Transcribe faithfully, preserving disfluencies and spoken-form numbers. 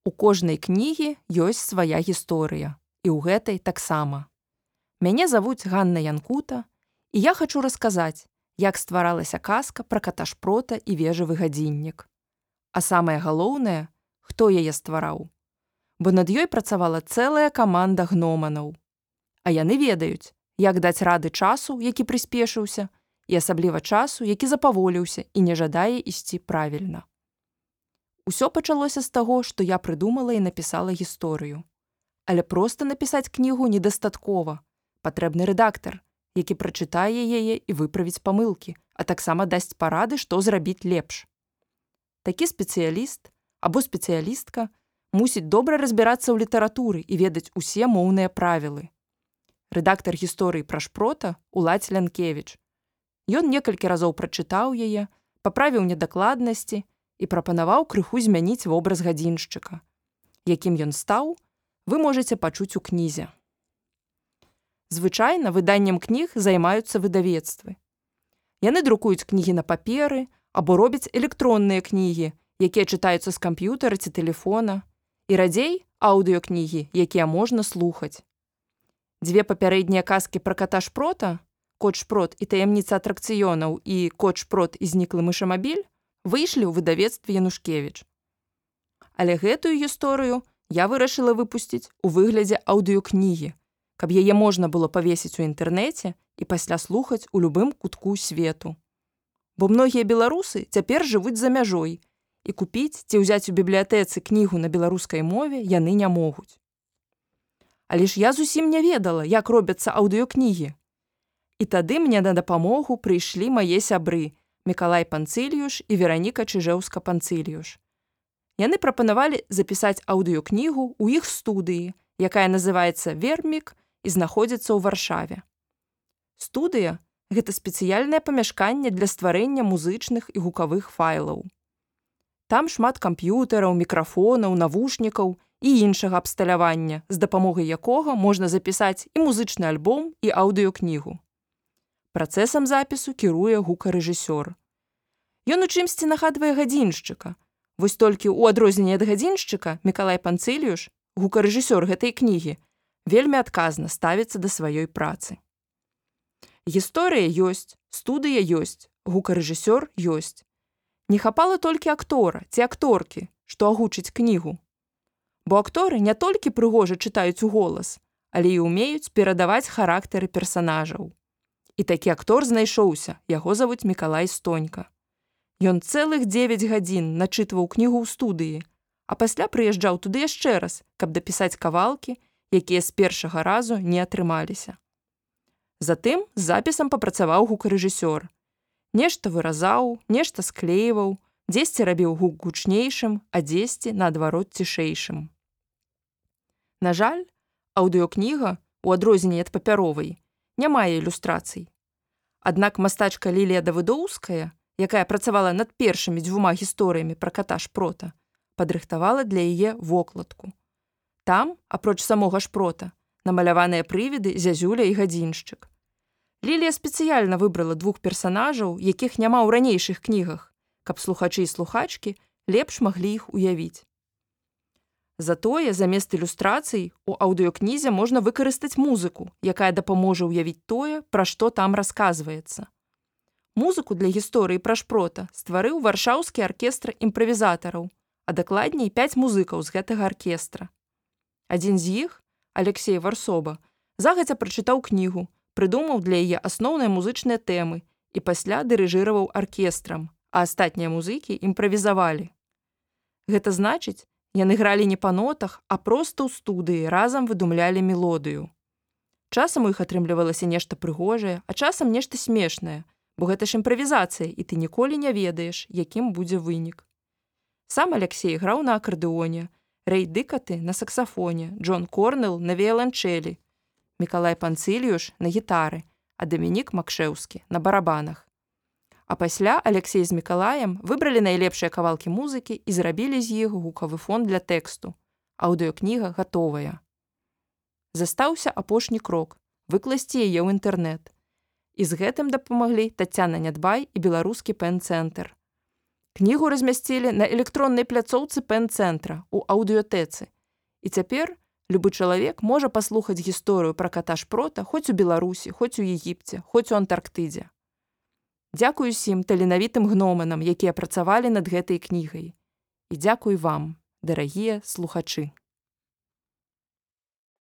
У кожнай кнігі ёсць свая гісторыя, і ў гэтай таксама. Мяне завуць Ганна Янкута, і я хачу расказаць, як стваралася казка пра ката-шпрота і вежавы гадзіннік. А самае галоўнае, хто яе ствараў. Бо над ёй працавала цэлая каманда гноманаў. А яны ведаюць, як даць рады часу, які прыспешыўся, і асабліва часу, які запаволіўся і не жадае ісці правільна. Усё пачалося з таго, што я прыдумала і напісала гісторыю. Але проста напісаць кнігу недастаткова. Патрэбны рэдактар, які прачытае яе і выправіць памылкі, а таксама дасць парады, што зрабіць лепш. Такі спецыяліст або спецыялістка мусіць добра разбірацца ў літаратуры і ведаць усе моўныя правілы. Рэдактар гісторыі пра шпрота Уладзь Лянкевіч. Ён некалькі разоў прачытаў яе, паправіў недакладнасці і прапанаваў крыху змяніць вобраз гадзіншчыка. Якім ён стаў, вы можаце пачуць у кнізе. Звычайна выданнем кніг займаюцца выдавецтвы. Яны друкуюць кнігі на паперы або робяць электронныя кнігі, якія чытаюцца з камп'ютара ці тэлефона, і радзей аўдыёкнігі, якія можна слухаць. Дзве папярэднія казкі пра ката-шпрота, Кот-шпрот і таямніца атракцыёнаў і Кот-шпрот і зніклы мышамабіль выйшлі ў выдавецтве Янушкевіч. Але гэтую гісторыю я вырашыла выпусціць у выглядзе аўдыёкнігі, каб яе можна было павесіць у інтэрнэце і пасля слухаць у любым кутку свету. Бо многія беларусы цяпер жывуць за мяжой, і купіць ці ўзяць у бібліятэцы кнігу на беларускай мове яны не могуць. Але ж я зусім не ведала, як робяцца аўдыёкнігі. І тады мне на дапамогу прыйшлі мае сябры Мікалай Панцыльюш і Вераніка Чыжэўска-Панцыльюш. Яны прапанавалі запісаць аўдыёкнігу ў іх студыі, якая называецца «Вермік» і знаходзіцца ў Варшаве. Студыя – гэта спецыяльнае памяшканне для стварэння музычных і гукавых файлаў. Там шмат камп'ютараў, мікрафонаў, навушнікаў і іншага абсталявання, з дапамогай якога можна запісаць і музычны альбом, і аўдыёкнігу. Працэсам запісу кіруе гукарэжысёр. Ён у чымсьці нагадвае гадзіншчыка. Вось толькі ў адрозненне ад гадзіншчыка Мікалай Панцыльюш, гукарэжысёр гэтай кнігі, вельмі адказна ставіцца да сваёй працы. Гісторыя ёсць, студыя ёсць, гукарэжысёр ёсць. Не хапала толькі актора ці акторкі, што агучыць кнігу. Бо акторы не толькі прыгожа чытаюць у голас, але і ўмеюць перадаваць характары персанажаў. І такі актор знайшоўся, яго завуць Мікалай Стонька. Ён цэлых дзевяць гадзін начытваў кнігу ў студыі, а пасля прыязджаў туды яшчэ раз, каб дапісаць кавалкі, якія з першага разу не атрымаліся. Затым з запісам папрацаваў гукарэжысёр. Нешта выразаў, нешта склейваў, дзесьці рабіў гук гучнейшым, а дзесьці, наадварот, цішэйшым. На жаль, аўдыёкніга, у адрозненне ад папяровай, не мае ілюстрацый. Аднак мастачка Лілія Давыдоўская, якая працавала над першымі дзвюма гісторыямі пра ката-шпрота, падрыхтавала для яе вокладку. Там, апроч самога шпрота, намаляваныя прывіды зязюля і гадзіншчык. Лілія спецыяльна выбрала двух персанажаў, якіх няма ў ранейшых кнігах, каб слухачы і слухачкі лепш маглі іх уявіць. Затое замест ілюстрацый у аўдыёкнізе можна выкарыстаць музыку, якая дапаможа ўявіць тое, пра што там расказваецца. Музыку для гісторыі пра шпрота стварыў варшаўскі аркестр імправізатараў, а дакладней пяць музыкаў з гэтага аркестра. Адзін з іх, Алексей Варсоба, загадзя прачытаў кнігу, прыдумаў для яе асноўныя музычныя тэмы і пасля дырыжыраваў аркестрам, а астатнія музыкі імправізавалі. Гэта значыць, яны гралі не па нотах, а проста ў студыі разам выдумлялі мелодыю. Часам у іх атрымлівалася нешта прыгожае, а часам нешта смешнае, бо гэта ж імправізацыя, і ты ніколі не ведаеш, якім будзе вынік. Сам Алексей граў на акардэоне, Рэй Дыкаты на саксафоне, Джон Корнел на віяланчэлі, Мікалай Панцыльюш на гітары, а Дамінік Макшэўскі на барабанах. А пасля Алексей з Мікалаем выбралі найлепшыя кавалкі музыкі і зрабілі з іх гукавы фон для тэксту. Аўдыёкніга гатовая. Застаўся апошні крок – выкласці яе ў інтэрнэт. І з гэтым дапамаглі Таццяна Нядбай і беларускі пэн-цэнтр. Кнігу размясцілі на электроннай пляцоўцы пэн-цэнтра ў аўдыётэцы. І цяпер любы чалавек можа паслухаць гісторыю пра ката Шпрота хоць у Беларусі, хоць у Егіпце, хоць у Антарктыдзе. Дзякуй усім таленавітым гноманам, якія працавалі над гэтай кнігай. І дзякуй вам, дарагія слухачы.